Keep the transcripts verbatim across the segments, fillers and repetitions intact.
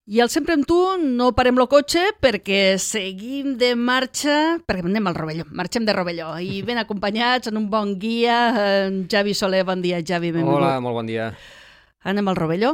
I al Sempre amb tu no parem el cotxe perquè seguim de marxa, perquè anem al Rovelló, marxem de Rovelló i ben acompanyats en un bon guia, en Javi Soler. Bon dia, Javi, benvingut. Hola, molt bon dia. Anem al Rovelló?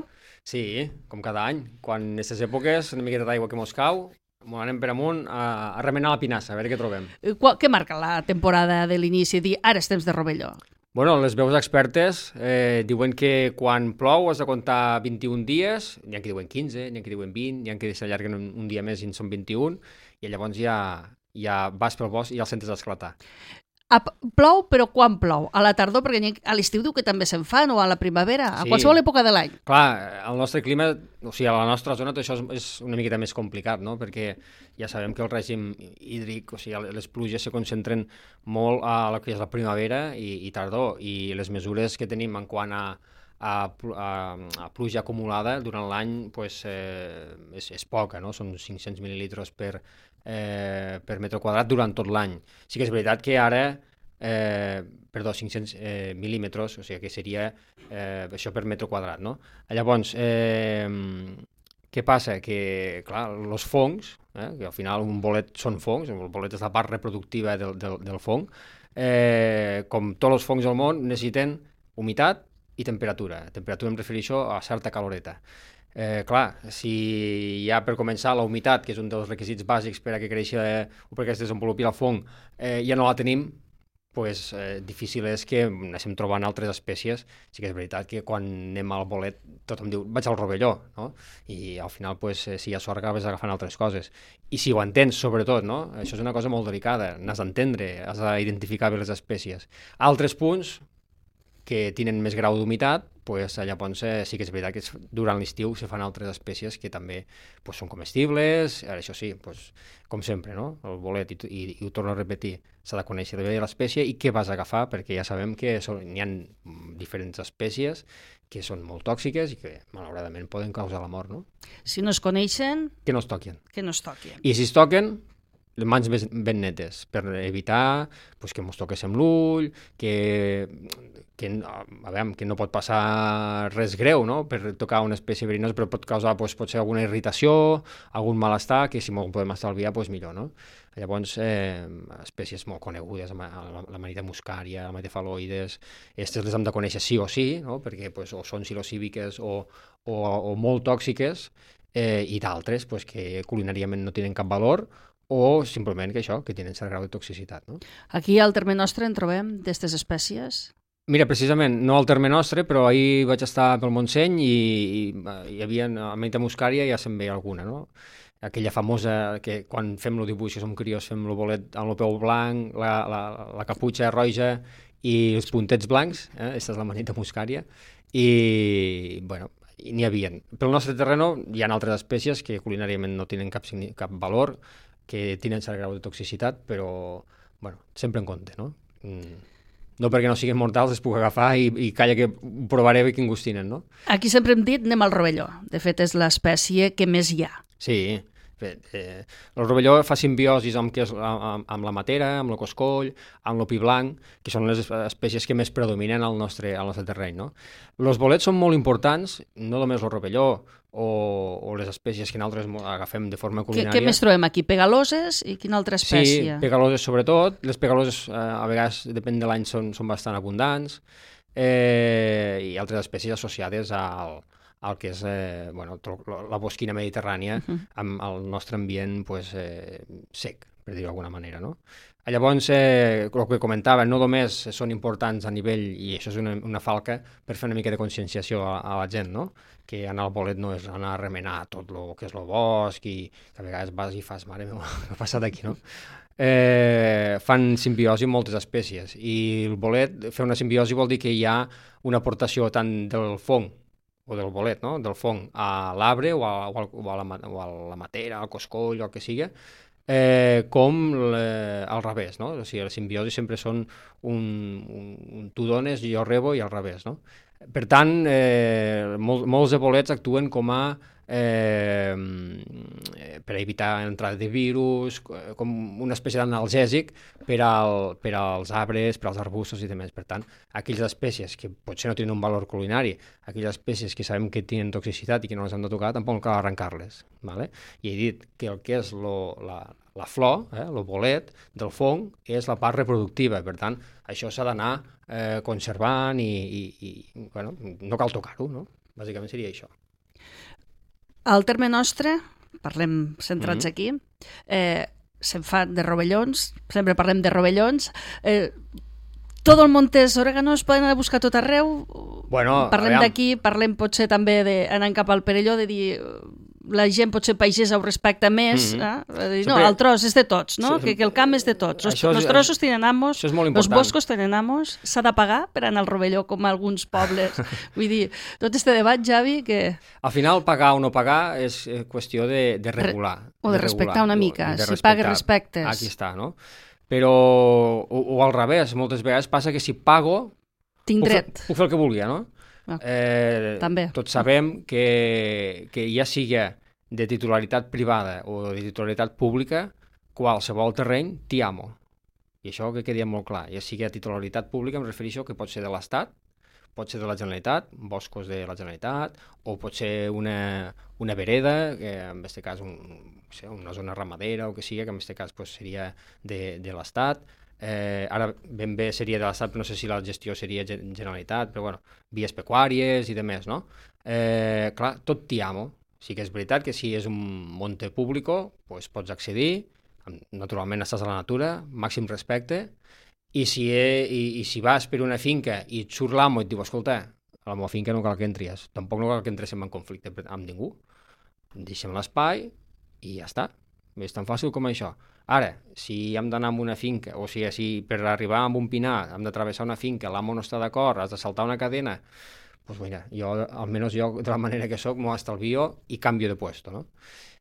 Sí, com cada any. Quan en aquestes èpoques, una miqueta d'aigua que mos cau, mos anem per amunt a, a remenar la pinassa, a veure què trobem. Qual, què marca la temporada de l'inici? Dir, ara és temps de Rovelló. Bueno, les veus expertes eh, diuen que quan plou has de comptar vint-i-un dies, n'hi ha que diuen quinze, n'hi ha que diuen vint, n'hi ha que s'allarguen un, un dia més i en són vint-i-un, i llavors ja, ja vas pel bosc i ja el sentes esclatar. A, plou, però quan plou? A la tardor, perquè a l'estiu diu que també se'n fan, o a la primavera, a Sí. qualsevol època de l'any. Clar, el nostre clima, o sigui, a la nostra zona tot això és, és una miqueta més complicat, no? Perquè ja sabem que el règim hídric, o sigui, les pluges se concentren molt a la que és la primavera i, i tardor, i les mesures que tenim en quant a, a, a, a pluja acumulada durant l'any pues, eh, és, és poca, no? Són cinc-cents mil·lilitres per, eh, per metre quadrat durant tot l'any. Sí que és veritat que ara Eh, perdó, cinc-cents eh, mil·límetres, o sigui que seria eh, això per metre quadrat, no? Llavors, eh, què passa? Que, clar, els fongs, eh, que al final un bolet són fongs, el bolet és la part reproductiva del, del, del fong, eh, com tots els fongs del món necessiten humitat i temperatura. Temperatura em refereixo a certa caloreta. Eh, clar, si ja per començar la humitat, que és un dels requisits bàsics per a que creixi eh, o perquè es desenvolupi el fong, eh, ja no la tenim, pues, eh, difícil és que anem trobant altres espècies. Sí que és veritat que quan anem al bolet tothom diu, vaig al Rovelló, no? I al final, pues, eh, si hi ha sort, acabes agafant altres coses. I si ho entens, sobretot, no? Això és una cosa molt delicada, n'has d'entendre, has d'identificar bé les espècies. Altres punts que tenen més grau d'humitat, pues, llavors eh, sí que és veritat que durant l'estiu se fan altres espècies que també pues, són comestibles. Ara, això sí, pues, com sempre, no? El bolet, i, i, i ho torno a repetir, s'ha de conèixer bé l'espècie i què vas a agafar, perquè ja sabem que n'hi ha diferents espècies que són molt tòxiques i que, malauradament, poden causar la mort, no? Si no es coneixen, que no es toquin. Que no es toquin. I si es toquen, les mans ben, ben netes, per evitar pues, que mos toqués amb l'ull, que, que, a veure, que no pot passar res greu, no?, per tocar una espècie verinosa, però pot causar pues, pot ser alguna irritació, algun malestar, que si m'ho podem estalviar, pues, millor, no? Llavors, eh, espècies molt conegudes, la, la manita muscària, la metefaloides, aquestes les hem de conèixer sí o sí, no?, perquè pues, o són psilocíbiques o, o, o molt tòxiques, eh, i d'altres pues, que culinàriament no tenen cap valor, o simplement que això, que tenen cert grau de toxicitat, no? Aquí al Terme Nostre en trobem d'aquestes espècies? Mira, precisament, no al Terme Nostre, però ahir vaig estar pel Montseny i, i hi havia a Manita Muscària ja se'n veia alguna, no? Aquella famosa que quan fem el dibuix, que som crios, fem el bolet amb el peu blanc, la, la, la caputxa roja i els puntets blancs, eh? Aquesta és la Manita Muscària, i, bueno, n'hi havia. Pel nostre terreno hi ha altres espècies que culinàriament no tenen cap, cap valor, que tenen cert grau de toxicitat, però, bueno, sempre en compte, no? Mm. No perquè no siguin mortals es puc agafar i, i calla que ho provaré bé quin gust tenen, no? Aquí sempre hem dit anem al Rovelló. De fet, és l'espècie que més hi ha. Sí, eh, el rovelló fa simbiosis amb, que és, amb, amb la matera, amb el coscoll, amb el pi blanc, que són les espècies que més predominen al nostre, al nostre terreny, no? Els bolets són molt importants, no només el rovelló o, o les espècies que nosaltres agafem de forma culinària. Què, què més trobem aquí? Pegaloses i quina altra espècie? Sí, pegaloses sobretot. Les pegaloses eh, a vegades, depèn de l'any, són, són bastant abundants, eh, i altres espècies associades al el que és eh, bueno, la bosquina mediterrània uh-huh. amb el nostre ambient pues, eh, sec, per dir-ho d'alguna manera, no? Llavors, eh, el que comentava, no només són importants a nivell, i això és una, una falca, per fer una mica de conscienciació a, a la gent, no? Que anar al bolet no és anar a remenar tot el que és el bosc i a vegades vas i fas, mare meva, què ha passat aquí, no? Eh, fan simbiosi amb moltes espècies i el bolet, fer una simbiosi vol dir que hi ha una aportació tant del fong o del bolet, no? Del fong a l'arbre o, a, o, a, o, a la, o a la matera, al coscoll o el que sigui, eh, com le, al revés, no? O sigui, les simbiosis sempre són un, un, un tu dones, jo rebo i al revés, no? Per tant, eh, mol, molts de bolets actuen com a eh, per per evitar entrada de virus, com una espècie d'analgèsic per, al, per als arbres, per als arbustos i demés. Per tant, aquelles espècies que potser no tenen un valor culinari, aquelles espècies que sabem que tenen toxicitat i que no les hem de tocar, tampoc cal arrencar-les. ¿Vale? I he dit que el que és lo, la, la flor, eh, el bolet del fong, és la part reproductiva. Per tant, això s'ha d'anar eh, conservant i, i, i bueno, no cal tocar-ho, no? Bàsicament seria això. Al terme nostre, parlem centrats mm-hmm. aquí, eh, se'n fa de rovellons, sempre parlem de rovellons. Eh, tot el Montes Òreganos poden anar a buscar tot arreu? Bueno, parlem d'aquí, parlem potser també d'anar cap al Perelló, de dir la gent potser pagesa ho respecta més, mm-hmm. eh? Dir, no, el tros és de tots, no? Sí, que, que el camp és de tots. Els es, trossos tenen amos, els boscos tenen amos, s'ha de pagar per anar al Rovelló com a alguns pobles. Vull dir, tot este debat, Javi, que... Al final, pagar o no pagar és qüestió de, de regular. O de, de respectar regular, una mica, si respectar. Pagues respectes. Aquí està, no? Però, o, o al revés, moltes vegades passa que si pago... Tinc dret. Puc fer, puc fer el que vulgui, no? Eh, També. Tots sabem que, que ja sigui de titularitat privada o de titularitat pública, qualsevol terreny t'hi amo. I això que quedi molt clar. Ja sigui de titularitat pública em refereixo que pot ser de l'Estat, pot ser de la Generalitat, boscos de la Generalitat, o pot ser una, una vereda, que en aquest cas un, no sé, una zona ramadera o que sigui, que en aquest cas pues, seria de, de l'Estat. Eh, ara ben bé seria de l'Estat, però no sé si la gestió seria Generalitat, però bueno, vies pecuàries i demés, no? Eh, clar, tot t'hi amo. Sí que és veritat que si és un monte público, pues pots accedir, naturalment estàs a la natura, màxim respecte, i si, he, i, i si vas per una finca i et surt l'amo i et diu, escolta, a la meva finca no cal que entries, tampoc no cal que entres en conflicte amb ningú, deixem l'espai i ja està, és tan fàcil com això. Ara, si hem d'anar a una finca, o sigui, si per arribar a un pinar hem de travessar una finca, l'amo no està d'acord, has de saltar una cadena, doncs mira, jo, almenys jo, de la manera que soc, m'ho estalvio i canvio de puesto, no?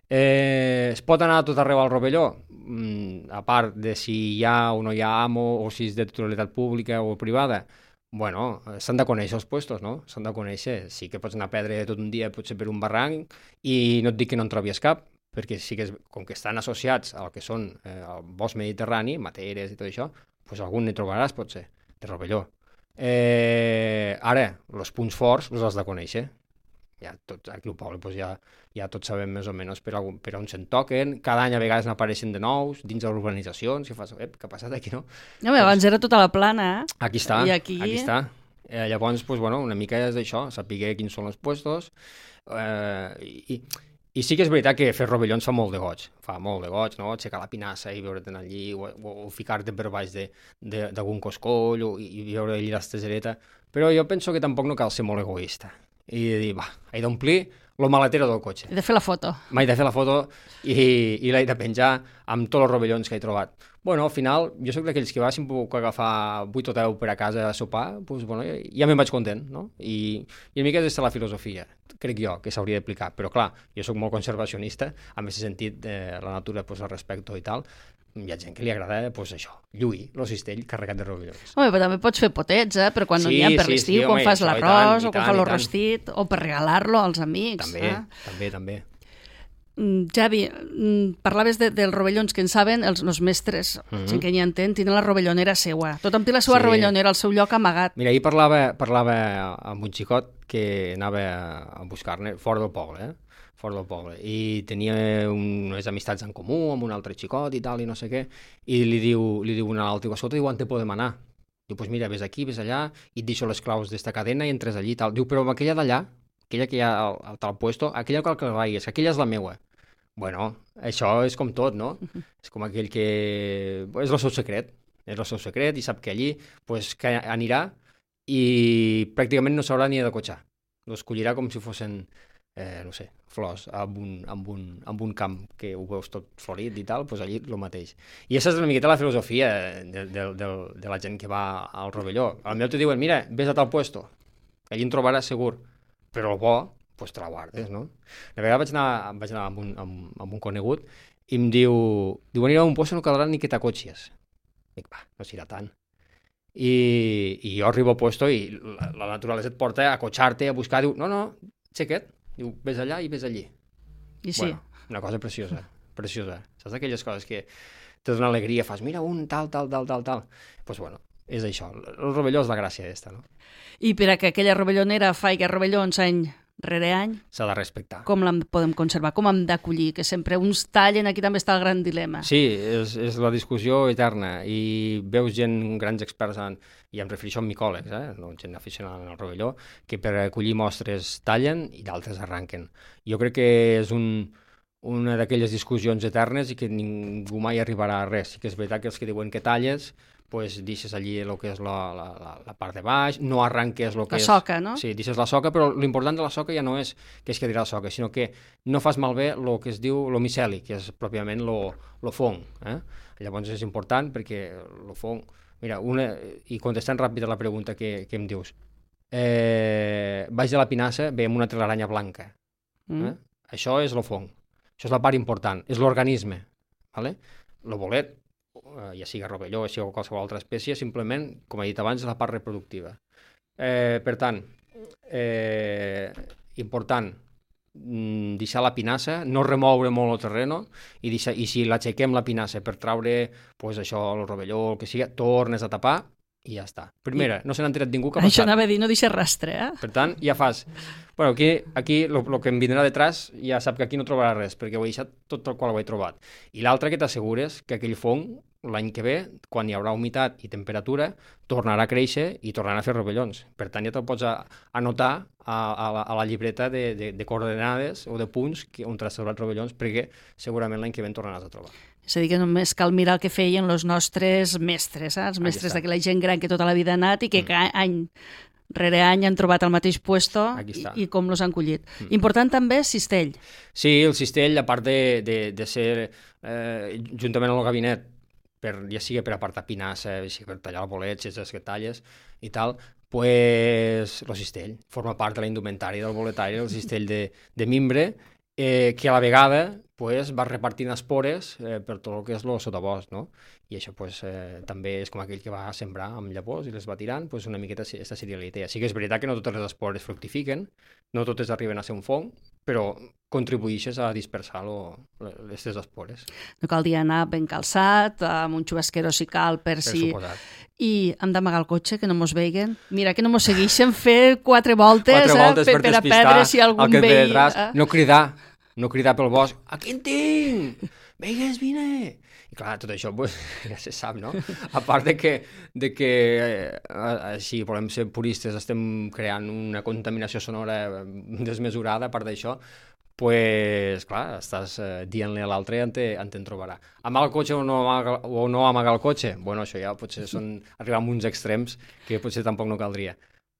Eh, es pot anar a tot arreu al Rovelló? Mm, a part de si hi ha o no hi ha amo, o si és de titularitat pública o privada, bueno, s'han de conèixer els puestos, no? S'han de conèixer. Sí que pots anar a perdre tot un dia, potser per un barranc, i no et dic que no en trobies cap, perquè sí que és, com que estan associats al que són eh, el bosc mediterrani, materes i tot això, doncs algun ne trobaràs, potser, de Rovelló. Eh, ara, els punts forts els has de conèixer. Ja tots, aquí al poble doncs ja, ja tots sabem més o menys per, algun, per on se'n toquen. Cada any a vegades n'apareixen de nous dins de les urbanitzacions i fas, ep, què ha passat aquí, no? No, doncs, abans era tota la plana, eh? Aquí està, I aquí... aquí està. Eh, llavors, doncs, bueno, una mica és d'això, saber quins són els puestos, eh, i, i sí que és veritat que fer rovellons fa molt de goig, fa molt de goig, no? Aixecar la pinassa i veure't allí, o, o, o ficar-te per baix d'algun coscoll, o, i veure allí l'estesereta, però jo penso que tampoc no cal ser molt egoista, i de dir, va, he d'omplir el maletero del cotxe. He de fer la foto. M'he de fer la foto i, i l'he de penjar amb tots els rovellons que he trobat. Bueno, al final, jo sóc d'aquells que va, si em puc agafar vuit o deu per a casa a sopar, doncs, bueno, ja me'n vaig content, no? I, i una mica és la filosofia, crec jo, que s'hauria d'aplicar. Però clar, jo sóc molt conservacionista, en aquest sentit, eh, la natura, pues, el respecto i tal. Hi ha gent que li agrada, pues, això, lluir, el cistell carregat de rovellons. Home, però també pots fer potets, eh? Però quan sí, no n'hi ha per sí, l'estiu, sí, quan home, fas l'arròs, o quan fas el rostit, o per regalar-lo als amics. També, eh? també, també. Javi, parlaves de, dels rovellons que en saben els, els mestres, mm-hmm. gent que n'hi entén, tenen la rovellonera seua. Tothom té la seva sí. rovellonera al seu lloc amagat. Mira, ahir parlava, parlava amb un xicot que anava a buscar-ne fora del poble, eh? fora del poble, i tenia unes amistats en comú amb un altre xicot i tal, i no sé què, i li diu, li diu un a l'altre, escolta, diu, on te podem anar? Diu, pues mira, ves aquí, ves allà, i et deixo les claus d'esta cadena i entres allí i tal. Diu, però amb aquella d'allà, aquella que hi ha al, al tal puesto, aquella cal que la vagis, aquella és la meua. Bueno, això és com tot, no? Uh-huh. És com aquell que... És el seu secret, és el seu secret i sap que allí pues, que anirà i pràcticament no s'haurà ni de cotxar. Lo escollirà com si fossin, eh, no sé, flors amb un, amb, un, amb un camp que ho veus tot florit i tal, pues allí el mateix. I aquesta és una miqueta la filosofia de, de, de, de la gent que va al Rovelló. Al meu te diuen, mira, vés a tal puesto, allí en trobaràs segur, però el bo pues te la guardes, no? La vegada vaig anar, vaig anar amb, un, amb, amb un conegut i em diu, diu, anirà a un puesto no caldrà ni que t'acotxis. Dic, va, no serà tant. I, i jo arribo al puesto i la, la naturalesa et porta a acotxar-te, a buscar, diu, no, no, xequet, diu, ves allà i ves allí. I sí. Bueno, una cosa preciosa, preciosa. Saps aquelles coses que te donen alegria, fas, mira, un tal, tal, tal, tal, tal. Doncs pues bueno, és això. El rovelló és la gràcia d'esta, no? I per a que aquella rovellonera faci rovellons any rere any... S'ha de respectar. Com la podem conservar? Com hem d'acollir? Que sempre uns tallen, aquí també està el gran dilema. Sí, és, és la discussió eterna. I veus gent, grans experts, en, i em refereixo a micòlegs, eh? No gent aficionada al rovelló, que per acollir mostres tallen i d'altres arranquen. Jo crec que és un... una d'aquelles discussions eternes i que ningú mai arribarà a res. Sí que és veritat que els que diuen que talles, pues deixes allí el que és la, la, la part de baix, no arranques el que la és... La soca, no? Sí, deixes la soca, però l'important de la soca ja no és que es quedi la soca, sinó que no fas malbé el que es diu el miceli, que és pròpiament el fong. Eh? Llavors és important perquè el fong... Mira, una, i contestant ràpid a la pregunta que, que em dius, eh, baix de la pinassa veiem una telaranya blanca. Mm. Eh? Això és el fong. Això és la part important, és l'organisme. ¿Vale? El bolet, ja sigui rovelló, ja sigui qualsevol altra espècie, simplement, com he dit abans, és la part reproductiva. Eh, per tant, eh, important, deixar la pinassa, no remoure molt el terreno, i, deixar, i si l'aixequem la pinassa per traure pues, això, el rovelló, el que sigui, tornes a tapar i ja està. Primera, I... no se n'ha enterat ningú que ha passat. Això anava a dir, no deixa rastre, eh? Per tant, ja fas... Bueno, aquí, aquí el que em vindrà detrás ja sap que aquí no trobarà res, perquè ho he deixat tot el qual ho he trobat. I l'altre que t'assegures que aquell fong, l'any que ve, quan hi haurà humitat i temperatura, tornarà a créixer i tornarà a fer rovellons. Per tant, ja te'l pots anotar a, a, la, a la llibreta de, de, de coordenades o de punts que, on t'has trobat rovellons, perquè segurament l'any que ve en tornaràs a trobar. És a dir, que només cal mirar el que feien els nostres mestres, eh? Els mestres d'aquella gent gran que tota la vida ha anat i que mm. cada any rere any han trobat el mateix puesto i, i com los han collit. Mm. Important també cistell. Sí, el cistell, a part de, de, de ser eh, juntament amb el gabinet, per, ja sigui per apartar pinassa, ja sigui per tallar el bolet, si és els que talles i tal, pues el cistell forma part de la indumentària del boletari, el cistell de, de mimbre, eh, que a la vegada pues, va repartint espores eh, per tot el que és el sotabosc, no? I això pues, eh, també és com aquell que va sembrar amb llavors i les va tirant, pues, una miqueta aquesta seria la idea. Sí que és veritat que no totes les espores fructifiquen, no totes arriben a ser un fong, però contribueixes a dispersar aquestes espores. No cal dir anar ben calçat, amb un xubasquero si cal, per, per si... Suposat. I hem d'amagar el cotxe, que no mos veiguen. Mira, que no mos segueixen fer quatre voltes, quatre voltes eh, per, per a perdre si algun veí... Eh? No cridar, no cridar pel bosc, aquí en tinc, veigues, vine. I clar, tot això pues, ja se sap, no? A part de que, de que eh, així volem ser puristes, estem creant una contaminació sonora desmesurada, a part d'això, pues, clar, estàs eh, dient-li a l'altre on te'n trobarà. Amagar el cotxe o no amagar, o no amagar el cotxe? Bueno, això ja potser són arribar a uns extrems que potser tampoc no caldria.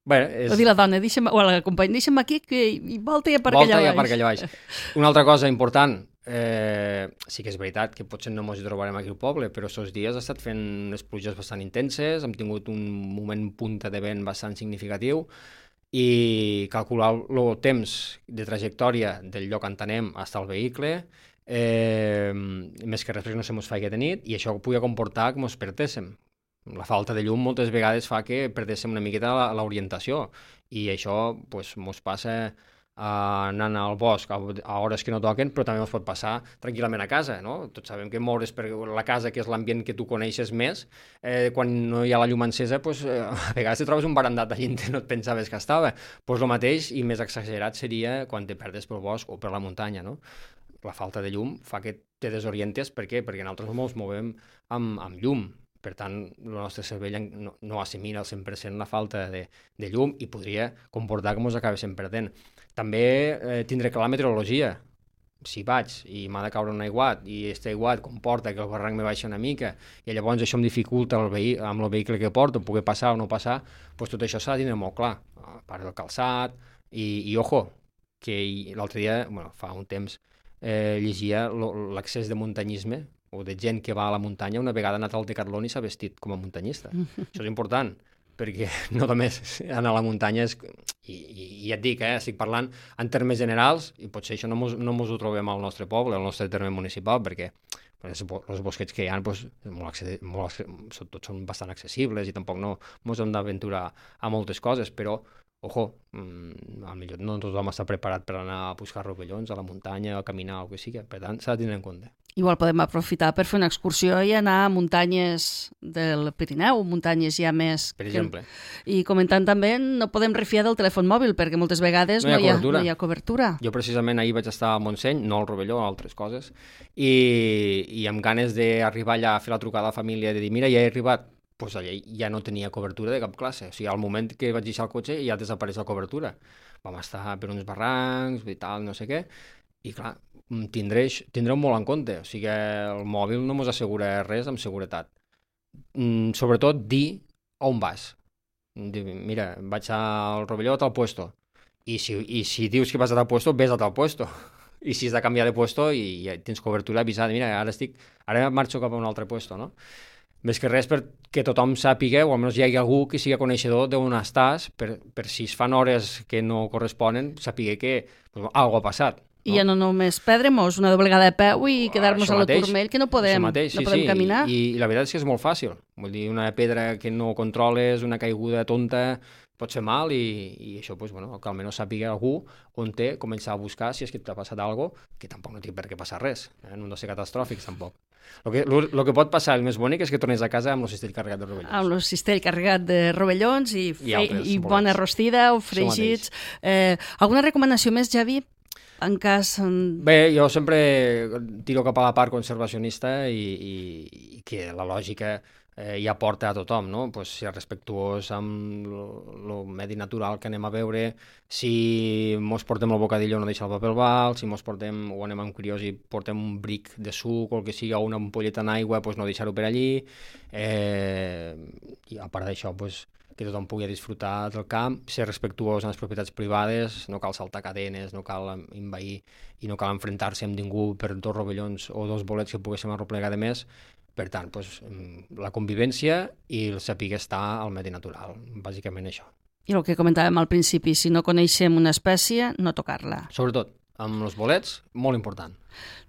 Bueno, és... O dir la dona, deixa'm, o la companya, deixa'm aquí que i volta i aparca allà baix. Volta i aparca allà baix. Una altra cosa important, eh, sí que és veritat que potser no ens hi trobarem aquí al poble, però aquests dies ha estat fent unes pluges bastant intenses, hem tingut un moment punta de vent bastant significatiu, i calcular el temps de trajectòria del lloc on anem fins al vehicle, eh, més que res perquè no se mos faci de nit, i això pugui comportar que mos perdéssim. La falta de llum moltes vegades fa que perdéssim una miqueta l'orientació, i això pues, mos passa anant al bosc a hores que no toquen, però també ens pot passar tranquil·lament a casa, no? Tots sabem que moure's per la casa, que és l'ambient que tu coneixes més, eh, quan no hi ha la llum encesa, pues, eh, a vegades te trobes un barandat allà on no et pensaves que estava. Pues el mateix i més exagerat seria quan te perdes pel bosc o per la muntanya, no? La falta de llum fa que te desorientes. Per què? Perquè nosaltres ens movem amb, amb llum. Per tant, el nostre cervell no, no assimila al cent per cent la falta de, de llum i podria comportar que ens acabéssim perdent. També eh, tindré clar la meteorologia. Si vaig i m'ha de caure un aiguat i aquest aiguat comporta que el barranc me baixa una mica i llavors això em dificulta el vehi amb el vehicle que porto, poder passar o no passar, doncs tot això s'ha de tindre molt clar. A part del calçat i, i ojo, que l'altre dia, bueno, fa un temps, eh, llegia l'accés de muntanyisme o de gent que va a la muntanya, una vegada ha anat al Decathlon i s'ha vestit com a muntanyista. Això és important, perquè no només anar a la muntanya és... I, i, i ja et dic, eh, estic parlant en termes generals, i potser això no mos, no mos ho trobem al nostre poble, al nostre terme municipal, perquè els bosquets que hi ha doncs, molt accedi- molt, tots són bastant accessibles i tampoc no mos hem d'aventurar a moltes coses, però ojo, mmm, potser no tothom està preparat per anar a buscar rovellons a la muntanya, a caminar o el que sigui, per tant s'ha de tenir en compte. Igual podem aprofitar per fer una excursió i anar a muntanyes del Pirineu, muntanyes ja més... Per exemple. Que... I comentant també, no podem refiar del telèfon mòbil, perquè moltes vegades no hi ha, no hi ha, no hi ha cobertura. Jo precisament ahir vaig estar a Montseny, no al Rovelló, altres coses, i, i amb ganes d'arribar allà a fer la trucada a la família, de dir, mira, ja he arribat, doncs allà ja no tenia cobertura de cap classe. O sigui, al moment que vaig deixar el cotxe ja desapareix la cobertura. Vam estar per uns barrancs i tal, no sé què, i clar, tindreix, tindreu molt en compte. O sigui, el mòbil no mos assegura res amb seguretat. Mm, sobretot dir on vas. Dir, mira, vaig al Rovelló a tal puesto. I si, I si dius que vas a tal puesto, ves a tal puesto. I si has de canviar de puesto i ja tens cobertura avisada, mira, ara estic, ara marxo cap a un altre puesto, no? Més que res perquè tothom sàpiga, o almenys hi hagi algú que sigui coneixedor d'on estàs, per, per si es fan hores que no corresponen, sàpiga que pues, alguna ha passat. No? I ja no només perdre-nos una doblegada de peu i quedar-nos a la turmell, que no podem, mateix, sí, no podem sí. caminar. I, I la veritat és que és molt fàcil. Vull dir, una pedra que no controles, una caiguda tonta, pot fer mal i, i això, pues, bueno, que almenys sàpiga algú on té, començar a buscar si és que t'ha passat alguna cosa, que tampoc no té per què passar res, eh? No han de ser catastròfics tampoc. El que, lo, lo que pot passar, el més bonic, és que tornes a casa amb el cistell carregat de rovellons. Amb el cistell carregat de rovellons i, fe, I, altres, i bona rostida o fregits. Eh, alguna recomanació més, Javi? En cas... Bé, jo sempre tiro cap a la part conservacionista i, i, i que la lògica eh, ja porta a tothom, no? Pues ser respectuós amb el medi natural que anem a veure, si mos portem el bocadillo no deixar el paper al bal, si mos portem, o anem amb curiós i portem un bric de suc o el que sigui, o una ampolleta en aigua, pues no deixar-ho per allí. Eh, I a part d'això, pues, que tothom pugui disfrutar del camp, ser respectuós amb les propietats privades, no cal saltar cadenes, no cal envair i no cal enfrontar-se amb ningú per dos rovellons o dos bolets que poguéssim arroplegar de més. Per tant, pues, la convivència i el saber estar al medi natural, bàsicament això. I el que comentàvem al principi, si no coneixem una espècie, no tocar-la. Sobretot, amb els bolets, molt important.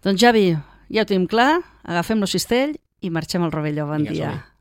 Doncs Javi, ja ho tenim clar, agafem el cistell i marxem al Rovelló. Bon Vinga, dia.